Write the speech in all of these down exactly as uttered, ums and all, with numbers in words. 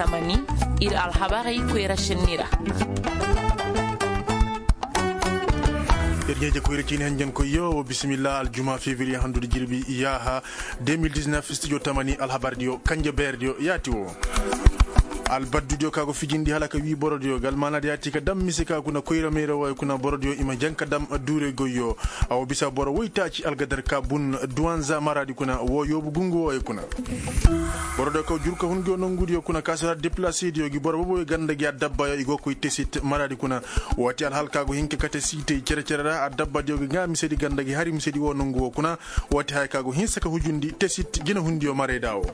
Tamani, ir alhabarey koyra šenni ra. Ir ɲeeje koyra ciini hanjankoyyo wo bisimilla aljuma fevriye handudi jirbi yaaha deux mille dix-neuf studio tamani alhabardiyo kanje beerdiyo yaati wo. Albaddudiyo ka go fijindi hala ka wii borodiyo ga almaanadi yaati ka dam mise ka kuna koyra meera wooyo kuna borodiyo i ma jaŋ ka dam duurey goyyo. A wo bisa boro woytaaci algadar ka bun duwanza maraadi kuna wo yoobu gungu wooyo kuna. Boro do kaw jurka hun ngiyo nongudiyo kuna ka sara deplasidiyo gi boro boboyo ganda gi adabbayo i go koy tesit maradi kuna. Woo ti alhal ka go hin ka kate siitey cere-cere ra adabbadiyo ga ŋaa misedi ganda gi hari misedi woo nongu woo kuna. Woo ti haya ka go hinsa ka hujundi tesit jinahundiyo marayda woo.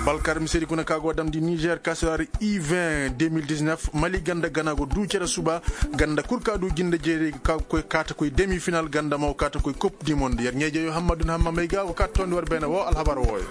Balkar misedi kuna ka go damndi nizer ka sara i vingt deux mille dix-neuf mali ganda gana go duu cere suba. Ganda kul ka duu jinde jeeri ka koy kaata koy demi final ganda mo kaata koy kop di monde yer ɲeejeyo hammadun hammamey ga wo ka toondi war beene woo alhabar wooyo.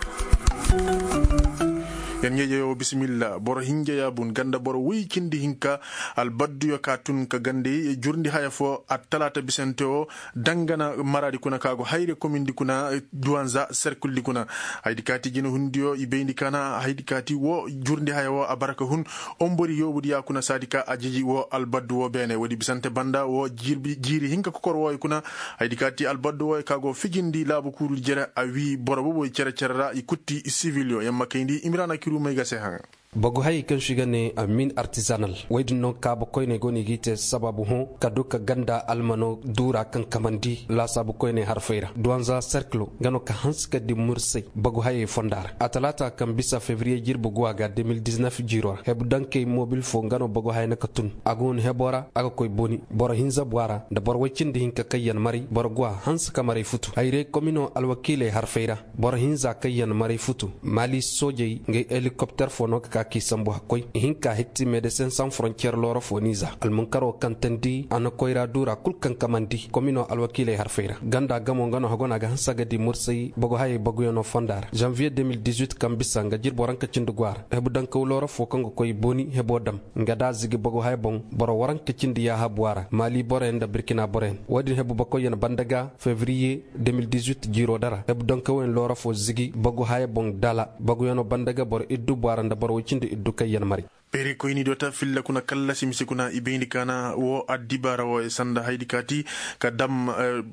Yer ɲeejeyo bisimilla boro hinja yaabun ganda boro woy cindi hinka. Albadduyo ka tun ka gandey jurndi haya foo attalaata bisante woo. Dangana maraadi kuna ka go hayre komindi kuna duwanza serkuldi kuna. Haydi kaati jinahundiyo i bayndi kaana haydi kaati woo jurndi haya woo a bara ka hun. Ombori yoobudi ya kuna saadi ka a jiji woo albaddu woo beene woodi bisante banda woo jiiri hinka kokor wooyo kuna. Haydi kaati albaddu wooyo ka go fijindi laabu kuurudi jere a wii boro boboy cere-cere ra i kutti sivilyo yamma kayndi imiraana kiruumay ga se haŋa. Bagu hayey kaŋ se i ga ne amin artizanal woy din no kaabu koyney go no i g'i te sabaabu hõ ka du ka ganda almano duura kaŋ kamandi laasaabu koyney harfey ra duwanza serkilo nga no ka hanse ka di mursay bagu hayey fonda ra a talaata kaŋ bisa febriye jirbi guwa ga deux mille dix-neuf jiiro ra hebu dankey mobil fo nga no bagu hayey na ka tun a go no hebo ra a ga koy boni boro hinza bu a ra nda boro woy cindi hinka kaŋ yaŋ maray boro guwa hanse ka maray futu hayrey komino alwakiiley harfey ra. Boro hinza kaŋ yaŋ maray futu maali soojey ngey helikopter fo no ka ka k'i sambu hakkoy ihinka hitti medesin san forontiyer looro fo niiza almunkaro kaŋ tandi a na koyra duura kul kaŋ kamandi komino alwakiiley harfey ra ganda gamo nga no hago no a ga hanse a ga di mursay bagu hayey baguyaŋo fonda ra zanviye deux mille dix-huit kaŋ bisa nga jirbo ranka cindi go a ra hebu dankaw looro fo kaŋ ga koy boni hebo dam nga da a zigi bagu haya boŋ boro waranka cindi yaaha bu a ra maali boroyaŋ nda birkina boroyaŋ wo-din hebu bakoyyaŋ banda ga febriye deux mille dix-huit jiiro dara hebu donkawoyaŋ loora fo zigi bagu haya boŋ dala baguyaŋo banda ga boro iddu bu a ra nda boro woy cindi iddu kaŋ yaŋ maray. Beerikoyni do ta filla kuna kallasi mise kuna i bayndi kaana wo addibaara wo sanda haydi kaati ka dam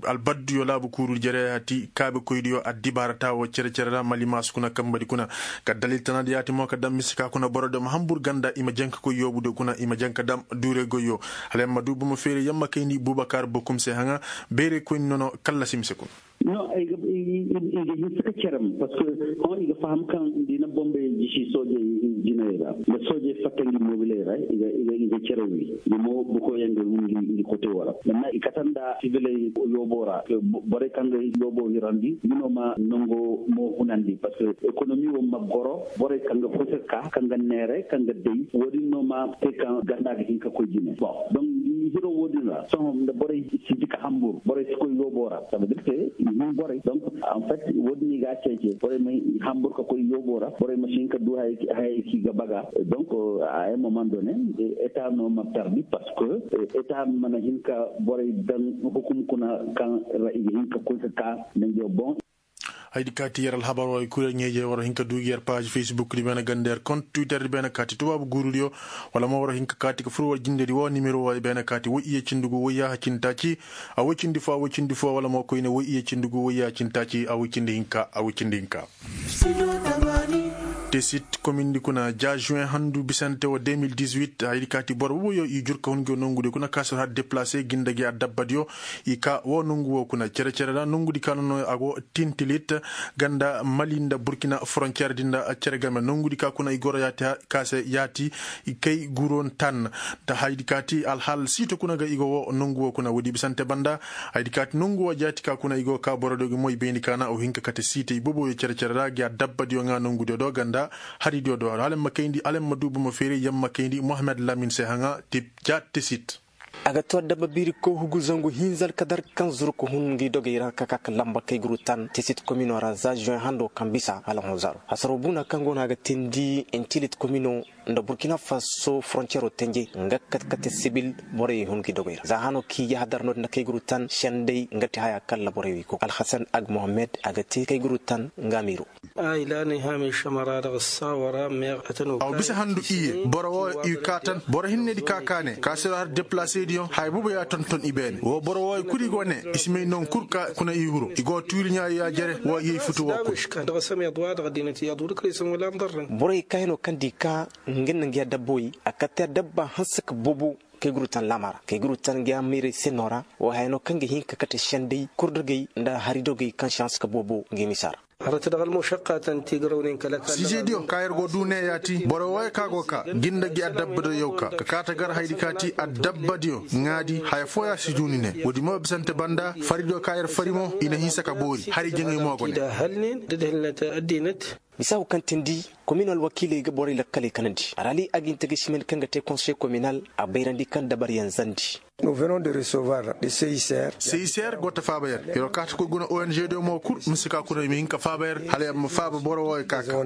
albadduyo laabu kuuru jere hati kaabekoydiyo addibaara ta wo cere-cere ra mali maasu kuna kambadi kuna ka dalil tana da yaati mo ka dam mise ka kuna boro do ma hambur ganda i ma janka koy yoobu do kuna i ma janka dam duure goyyo. Hala yamma du bomo feere yamma kayndi bubakar bokum se haŋa beere koyni nono kallasi mise kuna. No i ga hinsa ka cerem parce que hõ i ga faham kaŋ da i na bombey jisi soojey jinay ra nda soojey fatta ngi mobiley ra i ga cere wi. Nga mo bukoyaŋ ga hun ngi kote wo ra amma i kate nda sibiley yoobo ra borey kaŋ ga yoobo hirandi nga no ma nango mo hunandi parce que ekonomi wo ma goro borey kaŋ ga koy ka ka kaŋ ga neeray kaŋ ga day wo-din no ma te kaŋ ganda ga hin ka koy jine. Bon donc da i hiro wo-din ra sohõ nda borey si di ka hambur borey si koy yoobo ra ça veut dire que i hin borey donc en fait wo-din i ga a ceece borey ma hambur ka koy yoobo ra borey ma si hin ka du hayey kaŋ i ga baga. Donc à un moment donné eta no ma perdi parce que eta mana hin ka borey daŋ hukum kuna kaŋ ra i ga hin ka koy ka ka nanjo bon. Haydi kaati yer alhabar wo i kul yer ɲeejey war hin ka du gi yer paazi facebook di beene ganda yer kont twitter di beene kaati tubaabu guurudiyo wala mo war hin ka kaati ka fur war jindedi wo nimero wo i beene kaati woy iye cindi gu woy yaaha cindi taaci. A woy cindi fo a woy cindi fo wala mo koyne woy iye cindi gu woy yaaha cindi taaci a woy cindi hinka a woy cindi hinka. Tesit komindi kuna ja juin handu bisante wo deux mille dix-huit haydi kaati boro boboyo i jur ka hun ngi wo nongudiyo kuna kaasir har deplase ginda gi a dabbadiyo. I ka wo nongu wo kuna cere-cere ra nongudi ka nono a go tintilit ganda mali nda burkina frontier di nda cere game nongudi ka kuna i goro yaati ka se yaati. Kay guron tan nda haydi kaati alhaal siito kuna ga i go wo nongu wo kuna woodi bisante banda. Haydi kaati nongu wo jaati ka kuna i go ka boro do gi mo i bayndi kaana o hin ka kate siitey boboyo cere-cere ra gi a dabbadiyo ŋaa nongudiyo do ganda haridiyo do hala yamma kayndi hala yamma du bomo feeri yamma kayndi mohammed lamin se haŋa tip ja tesit. A ga to adama biiri koy hugu zangu hinza alkadar kaŋ zuru ka hun ngi dogey ra ka ka ka lamba kay guru tan tesit komino ra za juin hando kaŋ bisa hala hõ zaro hasaro buna kaŋ go no a ga tindi intilit komino. Nda burkina faso forontiyero tenjey nga katkate sibil borey hun gi dogey ra za hano k'i yahadar no-din na kay guru tan sendey nga te haya kalla borey wi ko alhasan ag mohammed a ga te kay guru tan nga miiro. Aw bisa handu iye boro wo i kaatan boro hinnedi ka kaane kaasiro har deplaseediyo haya boobo ya tonton i beene wo boro wo i kul i go ne i si may non kul ka kuna i huru i go tuuri ɲaari ya jere wo i yey futu wo kul. Borey kaayano kaŋ di ka nga na nga ya dabba wey a katta ya dabba hanse ka boobo kay guru tan laama ra kay guru tan nga ya miirey se no ra wo haya no kaŋ ga hin ka kate sendey kurdagey nda haridogey kaŋ si hanse ka boobo nga misa ra. Siisediyo ka yer go du ne ya ti boro wooyo ka go ka jinda gi adabba da yaw ka ka kaata gar haydi ka ti adabbadiyo ŋaadi haya fooya si du ni ne woodi mo bisante banda faridiyo ka yer fari mo i na hinsa ka boori hari jaŋay mo go ne. Misaahu kaŋ tindi komin alwakiiley ga borey lakkaley kanandi a ra ali a ga hin ta ga simen kaŋ ga te konsey kominal a bayrandi kaŋ dabaryaŋ zandi. Seyiseer go ta faaba yer yer wo kaata koy guna ong diyo mo kul mise ka kuna i ma hin ka faaba yer hala yer ma faaba boro wooyo ka ka.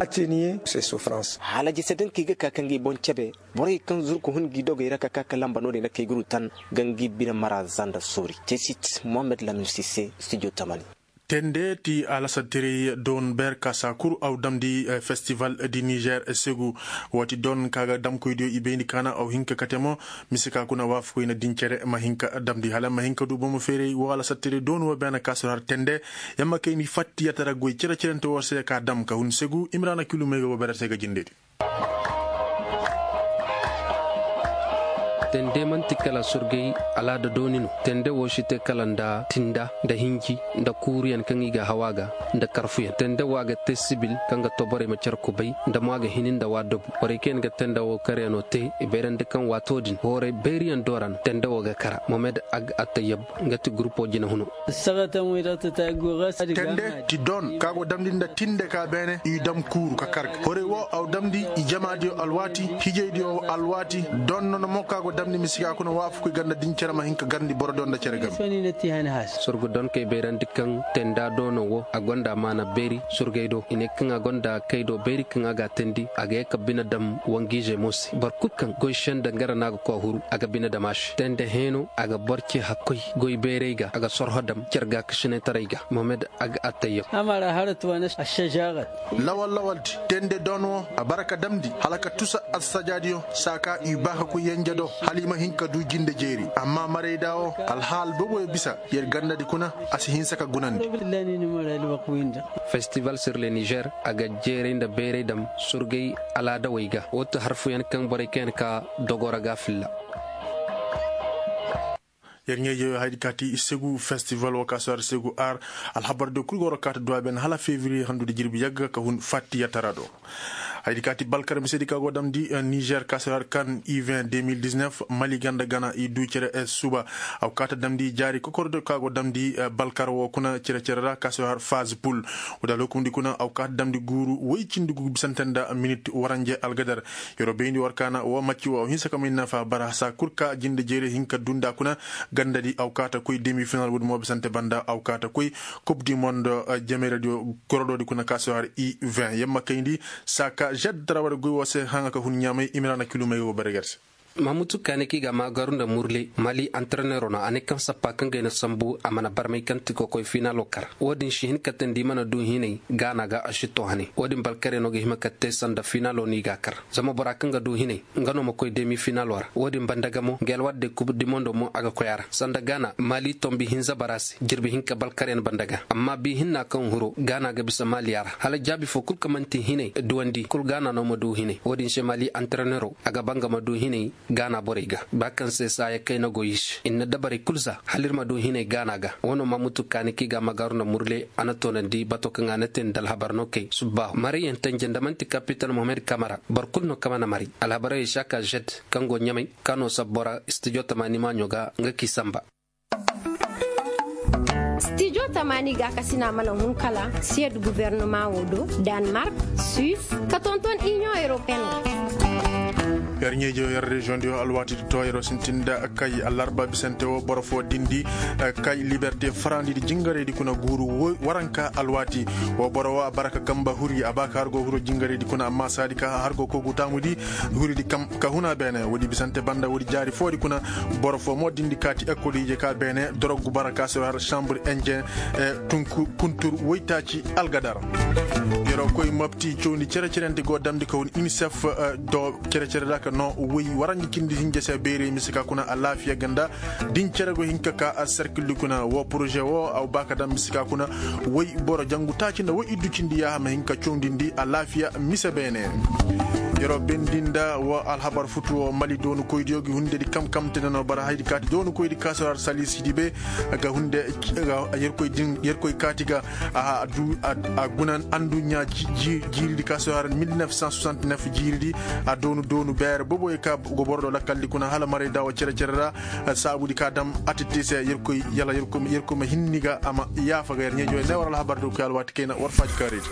Hala jese dankey ga ka ka ngi boŋ cebe borey kaŋ zurku hun ngi dogey ra ka ka ka lamba no-din na kay guru tan ga ngi bine mara zanda soori cesit mohammed lamin sise studio tamani. Tende ti alasattirey don ber ka saa kul aw damndi festival di nizer segu. Woo ti don ka ga damkoydiyo i bayndi kaana aw hin ka kate mo mise ka kuna waafakoy na din cere ma hin ka damndi hala ma hin ka du bomo feeray woo alasattirey don woo beene ka si har tende. Yamma kayndi fattiyatara goy cere-cerente woo se ka dam ka hun segu imrana kilumey ga woo berete ga jindedi. Tende man'ti kala surgay alaada dooni no tende woo si te kala nda tinda nda hinji nda kuuruyaŋ kaŋ i ga haw a ga nda karfuyaŋ tende woo a ga te sibil kaŋ ga too borey ma care kubay nda mo a ga hini nda waadobu borey kaŋ yaŋ ga tende woo karyaŋo te i bayrandi kaŋ waato din hooray bayriyaŋ do ra no tende woo ga kara momed ag attayab nga ti gurupo jinahuno. Tende ti don ka go damndi nda tinde ka beene i dam kuuru ka kar ga horey wo aw damndi i jamaadiyo alwaati hijaydiyo alwaati don nono mo ka go damndi misiga kuna waafakoy ganda din cere ma hin ka garndi borodiyo nda cere game. Surgu don kay bayrandi kaŋ tenda doono wo a gonda maana beeri surgay do i ne kaŋ a gonda kay do beeri kaŋ a ga a teendi a ga ye ka bine dam wangiizey mo se boro kul kaŋ goy senda ngara no a ga koy a huru a ga bine dam a se tende heeno a ga boro ce hakkoy goy beerey ga a ga sorho dam cere gaakasinaytaray ga mohamed a ga attayam. Lawal lawal di tende don wo a bara ka damndi hala ka tusa alsajaadiyo saa ka i baa ka koy yenje do hala i ma hin ka du jinde jeeri amma marayda wo alhaal booboyo bisa yer gandadi kuna a si hinsa ka gunandi. Festival sur le nizer a ga jeeray nda beeray dam surgay alaadawey ga woo ti harfuyaŋ kaŋ borey kaŋ yaŋ ka dogo ra ga filla. Yer ɲaa-ijey wo hayadi ka ti segu festival wo ka si har segu ar alhabar diyo kul go war kaata duwa ben hala fevriye handu nda jirbi yagga ka hun fattiyatara do. Hayadi ka ti balkar misedi ka go damndi nizer ka si har kan ivin deux mille dix-neuf mali ganda gana i du cere suba. Aw kaata damndi jaari kokordo ka go damndi balkar wo kuna cere-cere ra ka si har faz pul. Woo da lokumdi kuna aw kaata damndi guuru woy cindi gugu bisante nda minit waranje algadar. Yer wo bayndi war kaana woo macci woo aw hinsa ka may nafa bara saa kul ka jinde jeeri hin ka dunda kuna gandadi aw kaata koy demi final woodi mo bisante banda aw kaata koy kub di mondo jameradiyo gorodoodi kuna ka si har i vin yamma kayndi saa ka žed tarawa da goy woo se haŋa ka hun ɲaamay imira na kilumey woo bare gar se. Mamutu kaani kaŋ i ga a maa garu nda murle mali antareneero no a ne kaŋ sappa kaŋ ga ay na sambu a mana barmay kaŋ ti kokoy finaalo kar. Woo din si hin ka teendi i mana du hinay gaana ga a si too hane woo din balkaryaŋo ga hima ka te sanda finaalo no i ga a kar. Zama bora kaŋ ga du hinay nga no ma koy demi finaalo ra woo din banda ga mo nga alwaati day kub di mondo mo a ga koy a ra sanda gaana mali tombi hinza bara se jirbi hinka balkaryaŋ banda ga amma bi hinna kaŋ huro gaana ga bisa mali a ra hala jaabi foo kul kaŋ man'ti hinay duwandi kul gaana no ma du hinay woo din se mali antareneero a ga ba nga ma du hinay gaana borey ga ba kaŋ se saaya kayna go i se i na dabarey kul za hala ir ma du hinay gaana ga woo no mamutu kaani kaŋ i ga a magaaru nda murle a na toonandi bato kaŋ a na te nda alhabar no kay subbaahu marayyaŋ tenje nda man'ti kapital mohamed kamara boro kul no kaŋ mana maray alhabarey i si a ka žed kaŋ go ɲamay kaŋ no sabbo ra stijo tamaani maaɲo ga nga k'i samba. Stijo tamaani gaakasina mana hun kala siyed guvernemaa woo do, danmark, suis, ka tonton iniyoŋ europeen ra. Yer ɲeejo yer reziyoŋ diyo alwaati di to yeroo sintin nda kay allarba bisante woo boro foo dindi kay liberte farandi di jingarey di kuna guuru. Waranka alwaati woo boro woo a bara ka kamba huri a ba ka har go huroo jingarey di kuna amma saadi ka har go kogu taamu di huri di ka huna beene woodi bisante banda woodi jaari foo di kuna. Boro foo mo dindi kaati ekol ije ka beene dorog bara ka se har sambur enjen kuntur woytaaci algadar. Yeroo koy mopti cawndi cere-cerente go damndi ka hun unicef do cere-cere ra ka noo woy waranji cindi hinja se beerey mise ka kuna alaafiya ga nda din cere go hin ka ka serkil di kuna woo poroze woo a ba ka daŋ mise ka kuna woy boro jangu taaci nda woy iddu cindi yaaha ma hin ka cawndindi alaafiya mise beene. Yeroo bendi nda woo alhabar futu woo mali doonukoydiyo gi hunde di kamkamte nda no bara haydi kaati doonukoydi ka se har saliisi di be ga hunde yerkoy kaati ga a guna anduɲɲa jiiri di ka se har mil nef san soixante nef jiiri di a doonu doonu beere boboyo ka go boro do lakkal di kuna hala maray da woo cere-cere ra. Saabu di ka dam atitti se yerkoy yala yerkoy ma hinni ga a ma yaafa ga yer ɲeejo ne war alhabar di koy alwaati kayna war faaji kaarey di.